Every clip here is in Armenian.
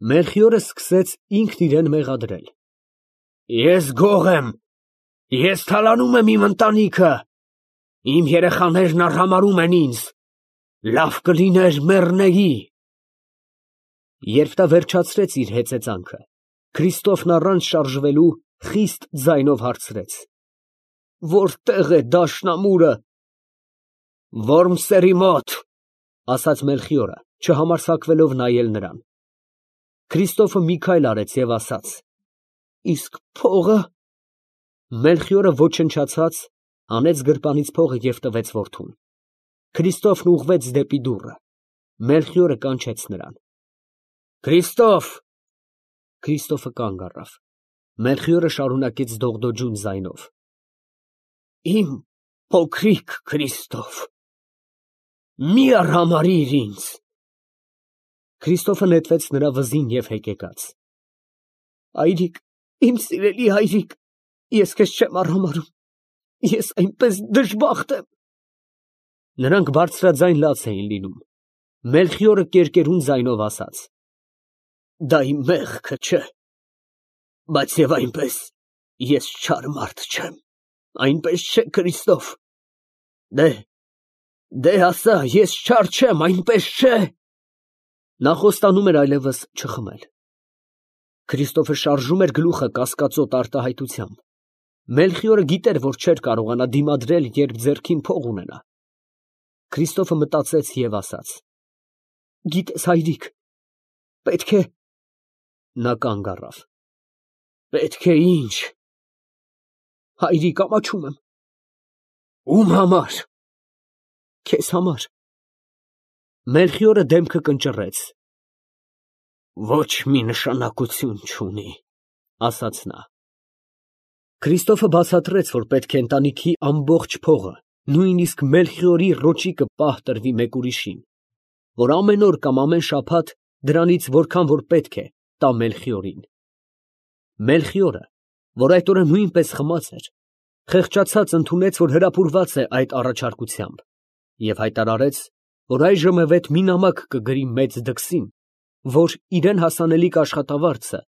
Մելխիորը սկսեց ինքն իրան մեղադրել։ Ես գող եմ, ես թալանում եմ իմ ընտանիքը, իմ երեխաներն արհամարհում են ինձ, լավ կլիներ մեռնեի։ Երբ նա վերջացրեց իր հեծեծանքը, Քրիստոֆն առանց շարժվելու խիստ ձայնով հարցրեց. Որտե՞ղ է դաշնամուրը։ Որմսերի մոտ, ասաց Մելխիորը, չհամարձակվելով նայել նրան։ Քրիստոֆը մի քայլ արեց և ասաց. Իսկ փողը։ Մելխիորը ոչնչացած, հանեց գրպանից փողը և տվեց որդուն։ Քրիստոֆն ուղղվեց դեպի դուռը։ Մելխիորը կանչեց նրան։ Քրիստոֆ։ Քրիստոֆը կանգ առավ։ Մելխիորը շարունակեց դողդոջուն ձայնով. Իմ փոքրիկ Քրիստոֆ, մի արհամարհիր ինձ։ Քրիստոֆը նետվեց նրա վզին և հեկեկաց։ Հայրիկ, իմ սիրելի հայրիկ, ես քեզ չեմ արհամարհում, ես այնպես դժբախտ եմ։ Նրանք բարձրաձայն լաց էին լինում։ Մելխիորը կերկերուն ձայնով ասաց. Դա իմ մեղքը չէ, բայց և այնպես ես չար մարդ չեմ, այնպես չէ, Քրիստոֆ։ Դե ասա, ես չար չեմ, այնպես չէ։ Նա խոստանում էր այլևս չխմել։ Քրիստոֆը շարժում էր գլուխը կասկածոտ արտահայտությամբ։ Մելխիորը գիտեր, որ չէր կարողանա դիմադրել, երբ ձեռքին փող ունենա։ Քրիստոֆը մտածեց և ասաց. Գիտես, հայրիկ, պետք է… Նա կանգ առավ։ Պետք է ինչ։ Հայրիկ, ամաչում եմ։ Ում համար։ Քեզ համար։ Մելխիորը դեմքը կնճռեց։ Ոչ մի նշանակություն չունի, ասաց նա։ Քրիստոֆը բացատրեց, որ պետք է ընտանիքի ամբողջ փողը, նույնիսկ Մելխիորի ռոճիկը պահ տրվի մեկ ուրիշին, որ ամեն օր կամ ամեն շաբաթ դրանից որքան որ պետք է տա Մելխիորին։ Մելխիորը, որ այդ օրը նույնպես խմած էր, խեղճացած ընդունեց, որ հրապուրված է այդ առաջարկությամբ, և հայտարարեց, որ այժմևեթ մի նամակ կգրի մեծ դքսին, որ իրան հասանելիք աշխատավարձը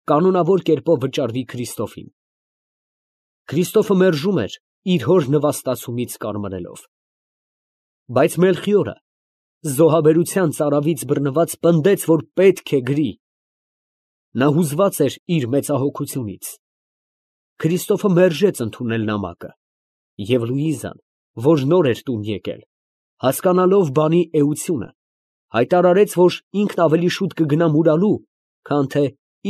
կանոնավոր կերպով վճարվի Քրիստոֆին։ Քրիստոֆը մերժում էր իր հոր նվաստացումից կարմրելով։ Բայց Մելխիորը զոհաբերության ծարավից բռնված պնդեց, որ պետք է գրի։ Նա հուզված էր իր մեծահոգությունից։ Քրիստոֆը մերժեց ընդունել նամակը, և Լուիզան, որ նոր էր տուն եկել, հասկանալով բանի էությունը, հայտարարեց, որ ինքն ավելի շուտ կգնա մուրալու, քան թե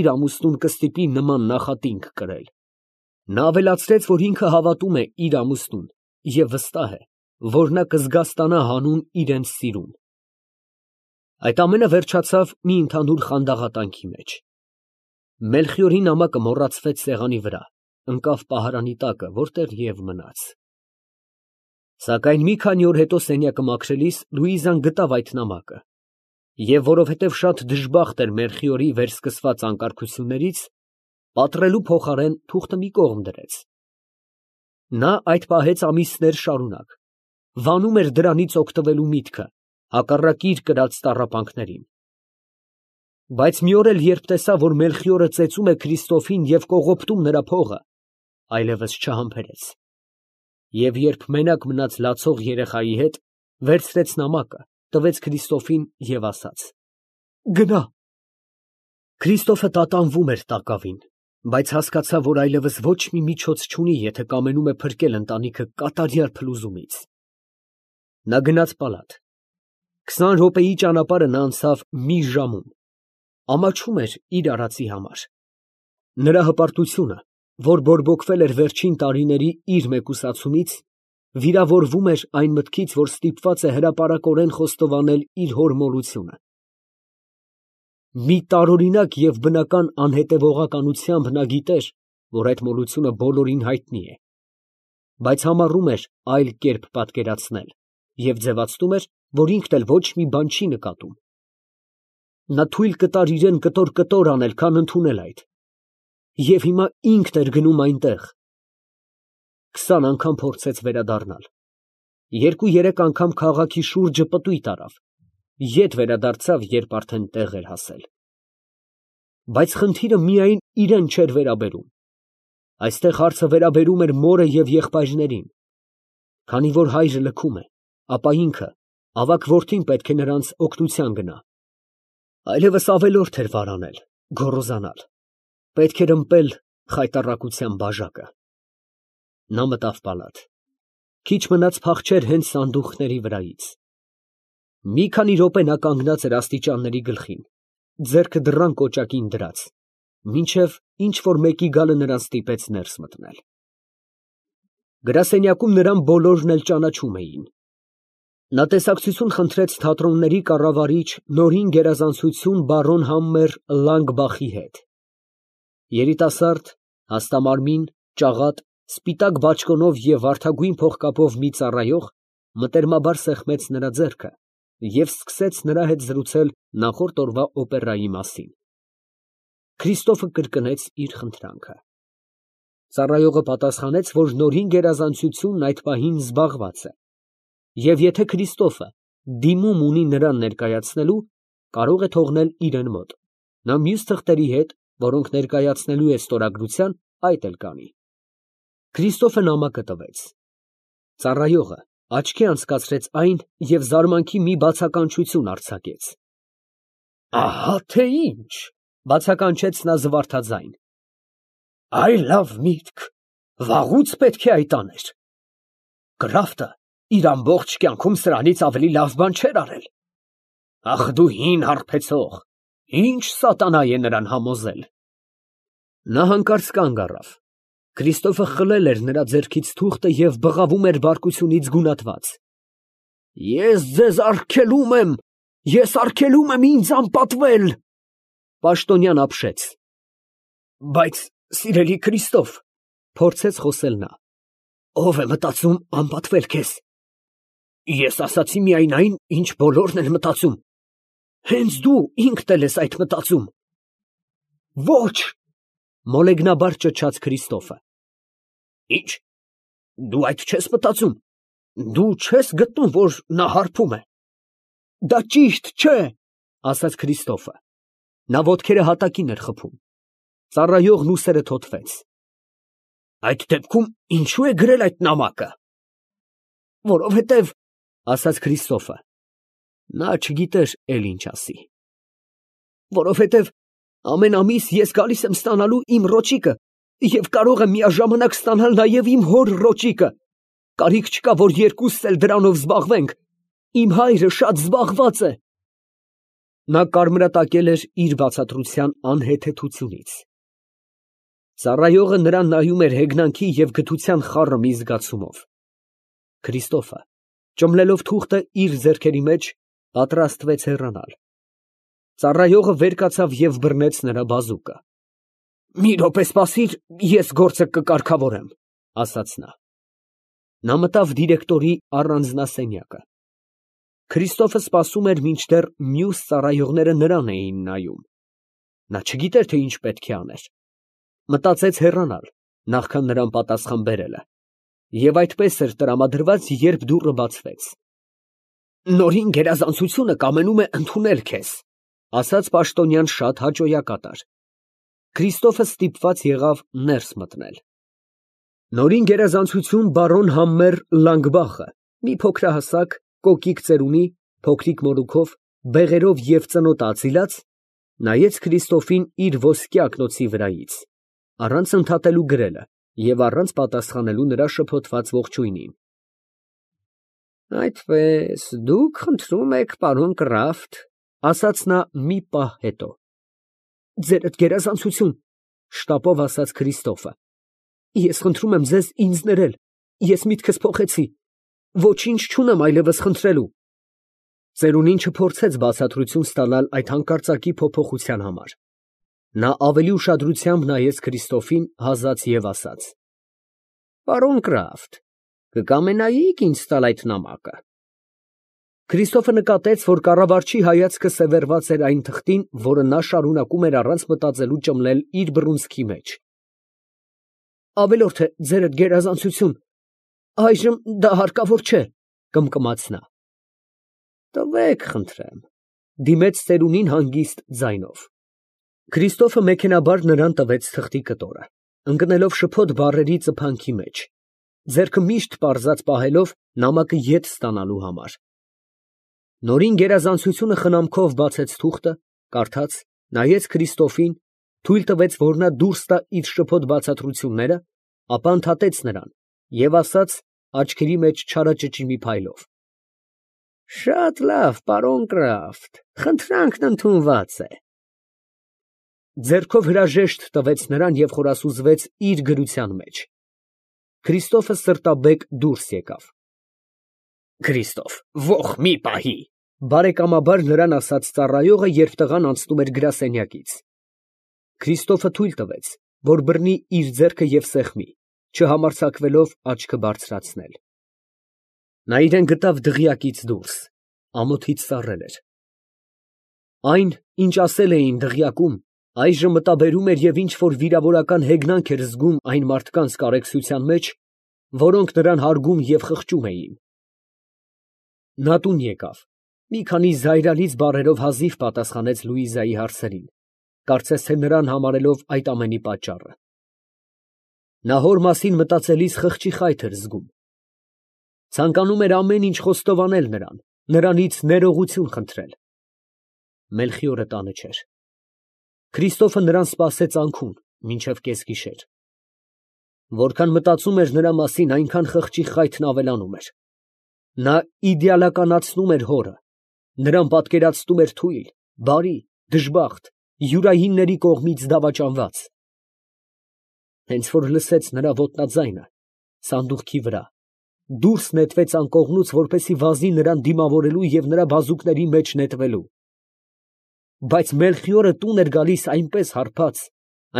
իր ամուսնուն կստիպի նման նախատինք կրել։ Նա ավելացրեց, որ ինքը հավատում է իր ամուսնուն և վստահ է, որ նա կզգաստանա հանուն իրենց սիրուն։ Այդ ամենը վերջացավ մի ընդհանուր խանդաղատանքի մեջ։ Մելխիորի նամակը մոռացվեց սեղանի վրա, ընկավ պահարանի տակը, որտեղ և մնաց։ Սակայն մի քանի օր հետո սենյակը մաքրելիս Լուիզան գտավ այդ նամակը, և որովհետև շատ դժբախտ էր Մելխիորի վերսկսված անկարգություններից, պատռելու փոխարեն թուղթը մի կողմ դրեց։ Նա այդ պահեց ամիսներ շարունակ, վանում էր դրանից օգտվելու միտքը, հակառակ իր կրած տառապանքներին։ Բայց մի օր էլ, երբ տեսավ, որ Մելխիորը ծեծում է Քրիստոֆին և կողոպտում նրա փողը, այլևս չհամբերեց։ Եվ երբ մենակ մնաց լացող երեխայի հետ, վերցրեց նամակը, տվեց Քրիստոֆին և ասաց. Գնա։ Քրիստոֆը տատանվում էր տակավին, բայց հասկացավ, որ այլևս ոչ մի միջոց չունի, եթե կամենում է փրկել ընտանիքը կատարյալ փլուզումից։ Նա գնաց պալատ։ 20 րոպեի ճանապարհը նա անցավ մի ժամում, ամաչում էր իր արածի համար։ Նրա հպարտությունը, որ բորբոքվել էր վերջին տարիների իր մեկուսացումից, վիրավորվում էր այն մտքից, որ ստիպված է հրապարակորեն խոստովանել իր հոր մոլությունը։ Մի տարօրինակ և բնական անհետևողականությամբ նա գիտեր, որ այդ մոլությունը բոլորին հայտնի է, բայց համառում էր այլ կերպ պատկերացնել և ձևացնում էր, որ ինքն էլ ոչ մի բան չի նկատում։ Նա թույլ կտար իրան կտոր անել, քան ընդունել այդ։ Եվ հիմա ինքն էր գնում այնտեղ։ 20 անգամ փորձեց վերադառնալ։ 2-3 անգամ քաղաքի շուրջը պտույտ արավ, ետ վերադարձավ, երբ արդեն տեղ էր հասել։ բայց խնդիրը միայն իրեն չէր վերաբերում։ Այստեղ հարցը վերաբերում էր մորը և եղբայրներին։ Քանի որ հայրը լքում է, ապա ինքը, ավագ որդին պետք է նրանց օգնության գնա։ Այլևս ավելորդ էր վարանել, գոռոզանալ։ Պետք էր ըմպել խայտառակության բաժակը։ Նա մտավ պալատ։ Քիչ մնաց փախչեր հենց սանդուղքների վրայից։ Մի քանի րոպե նա կանգնած էր աստիճանների գլխին, ձեռքը դռան կոճակին դրած, մինչև ինչ֊որ մեկի գալը նրան ստիպեց ներս մտնել։ Գրասենյակում նրան բոլորն էլ ճանաչում էին։ Նա տեսակցություն խնդրեց թատրոնների կառավարիչ Նորին գերազանցություն բարոն Համմեր Լանգբախի հետ։ Երիտասարդ, հաստամարմին, ճաղատ, սպիտակ բաճկոնով և վարդագույն փողկապով մի ծառայող մտերմաբար սեղմեց նրա ձեռքը և սկսեց նրա հետ զրուցել նախորդ օրվա օպերայի մասին։ Քրիստոֆը կրկնեց իր խնդրանքը։ Ծառայողը պատասխանեց, որ Նորին գերազանցությունն այդ պահին զբաղված է, և եթե Քրիստոֆը դիմում ունի նրան ներկայացնելու, կարող է թողնել իրեն մոտ, նա մյուս թղթերի հետ, որոնք ներկայացնելու է ստորագրության, այդ էլ կանի։ Քրիստոֆը նամակը տվեց։ Ծառայողը աչքի անցկացրեց այն և զարմանքի մի բացականչություն արձակեց։ Ահա թե ինչ, բացականչեց նա զվարթաձայն։ Այ լավ միտք, վաղուց պետք է այդ աներ։ Գրաֆտը իր ամբողջ կյանքում սրանից ավելի լավ բան չէր արել։ Ախ դու հին հարբեցող, ինչ սատանա է նրան համոզել։ Նա հանկարծ կանգ առավ։ Քրիստոֆը խլել էր նրա ձեռքից թուղթը և բղավում էր բարկությունից գունատված։ Ես ձեզ արգելում եմ, ես արգելում եմ ինձ անպատվել, պաշտոնյան ապշեց։ Բայց, սիրելի Քրիստոֆ, փորձեց խոսել նա, ով է մտածում անպատվել քեզ։ Ես ասացի միայն այն, ինչ բոլորն են մտածում։ Հենց դու ինքդ էլ ես այդ մտածում։ Ոչ, մոլեգնաբար ճչաց Քրիստոֆը։ Ինչ, դու այդ չես մտածում, դու չես գտնում, որ նա հարբում է։ Դա ճիշտ չէ, ասաց Քրիստոֆը։ Նա ոտքերը հատակին էր խփում։ Ծառայողն ուսերը թոթվեց։ Այդ դեպքում ինչու է գրել այդ նամակը։ Որովհետև, ասաց Քրիստոֆը։ Նա չգիտեր էլ ինչ ասի։ Որովհետև ամեն ամիս ես գալիս եմ ստանալու իմ ռոճիկը և կարող եմ միաժամանակ ստանալ նաև իմ հոր ռոճիկը։ Կարիք չկա, որ երկուսս էլ դրանով զբաղվենք։ Իմ հայրը շատ զբաղված է։ Նա կարմրատակել էր իր բացատրության անհեթեթությունից։ Ծառայողը նրան նայում էր հեգնանքի և գթության խառը մի զգացումով։ Քրիստոֆը, ճմլելով թուղթը իր ձեռքերի մեջ, պատրաստվեց հեռանալ։ Ծառայողը վեր կացավ և բռնեց նրա բազուկը։ Մի րոպե սպասիր, ես գործը կկարգավորեմ, ասաց նա։ Նա մտավ դիրեկտորի առանձնասենյակը։ Քրիստոֆը սպասում էր, մինչդեռ մյուս ծառայողները նրան էին նայում։ Նա չգիտեր, թե ինչ պետք է աներ։ Մտածեց հեռանալ, նախքան նրան պատասխան բերելը, և այդպես էր տրամադրված, երբ դուռը բացվեց։ Նորին գերազանցությունը կամենում է ընդունել քեզ, ասաց պաշտոնյան շատ հաճոյակատար։ Քրիստոֆը ստիպված եղավ ներս մտնել։ Նորին գերազանցություն բարոն Համմեր Լանգբախը, մի փոքրահասակ, կոկիկ ծերունի, փոքրիկ մորուքով, բեղերով և ծնոտ ածիլած, նայեց Քրիստոֆին իր ոսկյա ակնոցի վրայից, առանց ընդհատելու գրելը և առանց պատասխանելու նրա շփոթված ողջույնին։ Այդպես, դուք խնդրում եք, պարոն Կրաֆտ, ասաց նա մի պահ հետո։ Ձերդ գերազանցություն, շտապով ասաց Քրիստոֆը։ Ես խնդրում եմ ձեզ ինձ ներել, ես միտքս փոխեցի, ոչինչ չունեմ այլևս խնդրելու։ Ծերունին չփորձեց բացատրություն ստանալ այդ հանկարծակի փոփոխության համար։ Նա ավելի ուշադրությամբ նայեց Քրիստոֆին, հազաց և ասաց. Պարոն Կրաֆտ, կկամենայիք ինձ տալ այդ նամակը։ Քրիստոֆը նկատեց, որ կառավարչի հայացքը սևեռված էր այն թղթին, որը նա շարունակում էր առանց մտածելու ճմլել իր բռունցքի մեջ։ Ավելորդ է, ձերդ գերազանցություն, այժմ դա հարկավոր չէ, կմկմաց նա։ Տվեք, խնդրեմ, դիմեց ծերունին հանգիստ ձայնով։ Քրիստոֆը մեքենաբար նրան տվեց թղթի կտորը, ընկնելով շփոթ բառերի ծփանքի մեջ, ձեռքը միշտ պարզած պահելով նամակը ետ ստանալու համար։ Նորին գերազանցությունը խնամքով բացեց թուղթը, կարդաց, նայեց Քրիստոֆին, թույլ տվեց, որ նա դուրս տա իր շփոթ բացատրությունները, ապա ընդհատեց նրան և ասաց աչքերի մեջ չարաճճի մի փայլով. «Շատ լավ, պարոն Կրաֆտ, խնդրանքն ընդունված է»։ Ձեռքով հրաժեշտ տվեց նրան և խորասուզվեց իր գրության մեջ։ Քրիստոֆը սրտաբեկ դուրս եկավ։ «Քրիստոֆ, ոխ մի պահի», բարեկամաբար նրան ասաց ծառայողը, երբ տղան անցնում էր գրասենյակից։ Քրիստոֆը թույլ տվեց, որ բռնի իր ձեռքը և սեղմի, չհամարձակվելով աչքը բարձրացնել։ Նա իրան գտավ դղյակից դուրս, ամոթից սառել էր։ Այն, ինչ ասել էին դղյակում, այժմ մտաբերում էր և ինչ֊որ վիրավորական հեգնանք էր զգում այն մարդկանց կարեկցության մեջ, որոնք նրան հարգում և խղճում էին։ Նա տուն եկավ, մի քանի զայրալից բառերով հազիվ պատասխանեց Լուիզայի հարցերին, կարծես թե նրան համարելով այդ ամենի պատճառը։ Նա հոր մասին մտածելիս խղճի խայթ էր զգում։ Ցանկանում էր ամեն ինչ խոստովանել նրան, նրանից ներողություն խնդրել։ Մելխիորը տանը չէր։ Քրիստոֆը նրան սպասեց անքուն մինչև կեսգիշեր։ Որքան մտածում էր նրա մասին, այնքան խղճի խայթն ավելանում էր։ Նա իդեալականացնում էր հորը, նրան պատկերացնում էր թույլ, բարի, դժբախտ, յուրայինների կողմից դավաճանված։ Հենց որ լսեց նրա ոտնաձայնը սանդուղքի վրա, դուրս նետվեց անկողնուց, որպեսզի վազի նրան դիմավորելու և նրա բազուկների մեջ նետվելու։ Բայց Մելխիորը տուն էր գալիս այնպես հարբած,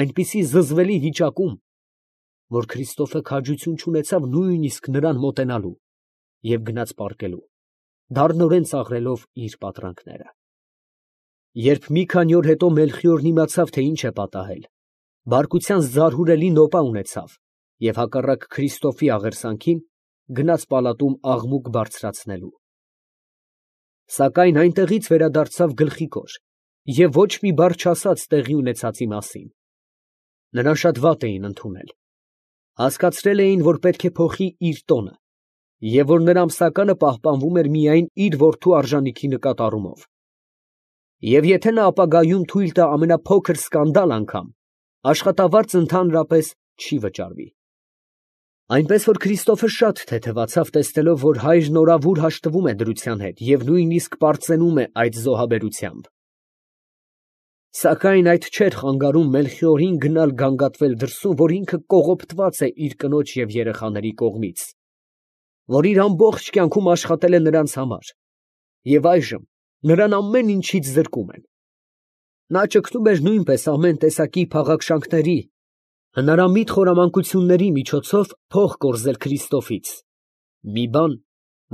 այնպիսի զզվելի վիճակում, որ Քրիստոֆը քաջություն չունեցավ նույնիսկ նրան մոտենալու և գնաց պառկելու, դառնորեն ծաղրելով իր պատրանքները։ Երբ մի քանի օր հետո Մելխիորն իմացավ, թե ինչ է պատահել, բարկության զարհուրելի նոպա ունեցավ և հակառակ Քրիստոֆի աղերսանքին գնաց պալատում աղմուկ բարձրացնելու։ Սակայն այնտեղից վերադարձավ գլխիկոր և ոչ մի բառ չասաց տեղի ունեցածի մասին։ Նրան շատ վատ էին ընդունել։ Հասկացրել էին, որ պետք է փոխի իր տոնը և որ նրա ամսականը պահպանվում էր միայն իր որդու արժանիքի նկատառումով։ Եվ եթե նա ապագայում թույլ տա ամենափոքր սկանդալ անգամ, աշխատավարձ ընդհանրապես չի վճարվի։ Այնպես որ Քրիստոֆը շատ թեթևացավ, տեսնելով, որ հայրն օրավուր հաշտվում է դրության հետ և նույնիսկ պարծենում է այդ զոհաբերությամբ։ Սակայն այդ չէր խանգարում Մելխիորին գնալ գանգատվել դրսում, որ ինքը կողոպտված է իր կնոջ և երեխաների կողմից, որ իր ամբողջ կյանքում աշխատել է նրանց համար, և այժմ նրան ամեն ինչից զրկում են։ Նա ճգնում էր նույնպես ամեն տեսակի փաղաքշանքների, հնարամիտ խորամանկությունների միջոցով փող կորզել Քրիստոֆից, մի բան,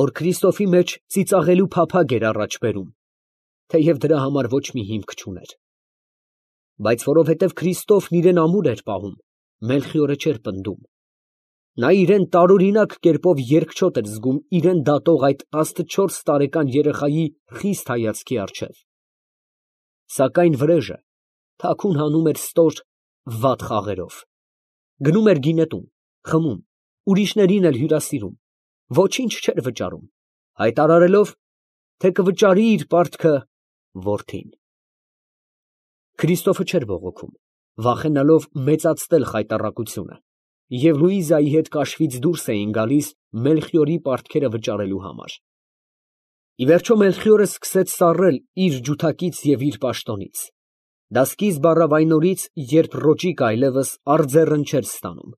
որ Քրիստոֆի մեջ ծիծաղելու փափագ էր առաջ բերում, թեև դրա համար ոչ մի հիմք չուներ։ Բայց որովհետև Քրիստոֆն իրեն ամուր էր պահում, Մելխիորը չէր պնդում։ Նա իրեն տարօրինակ կերպով երկչոտ էր զգում իրեն դատող այդ 14 տարեկան երեխայի խիստ հայացքի առջև։ Սակայն վրեժը թաքուն հանում էր ստոր, վատ խաղերով։ Գնում էր գինետուն, խմում, ուրիշներին էլ հյուրասիրում, ոչինչ չէր վճարում, հայտարարելով, թե կվճարի իր պարտքը որդին։ Քրիստոֆը չէր բողոքում, վախենալով մեծացնել խայտառակությունը, և Լուիզայի հետ կաշվից դուրս էին գալիս Մելխիորի պարտքերը վճարելու համար։ Ի վերջո Մելխիորը սկսեց սառել իր ջութակից և իր պաշտոնից։ Դա սկիզբ առավ այն օրից, երբ Ռոճիկը այլևս արձեռն չէր ստանում։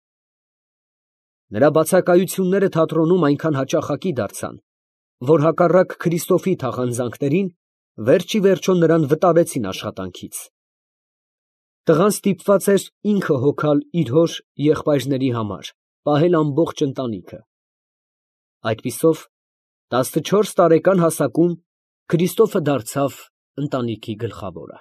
Նրա բացակայությունները թատրոնում այնքան հաճախակի դարձան, որ հակառակ Քրիստոֆի թախանձանքներին, վերջ ի վերջո նրան վտարեցին աշխատանքից։ Տղան ստիպված էր ինքը հոգալ իր հոր եղբայրների համար, պահել ամբողջ ընտանիքը։ Այդպիսով 14 տարեկան հասակում Քրիստոֆը դարձավ ընտանիքի գլխավորը։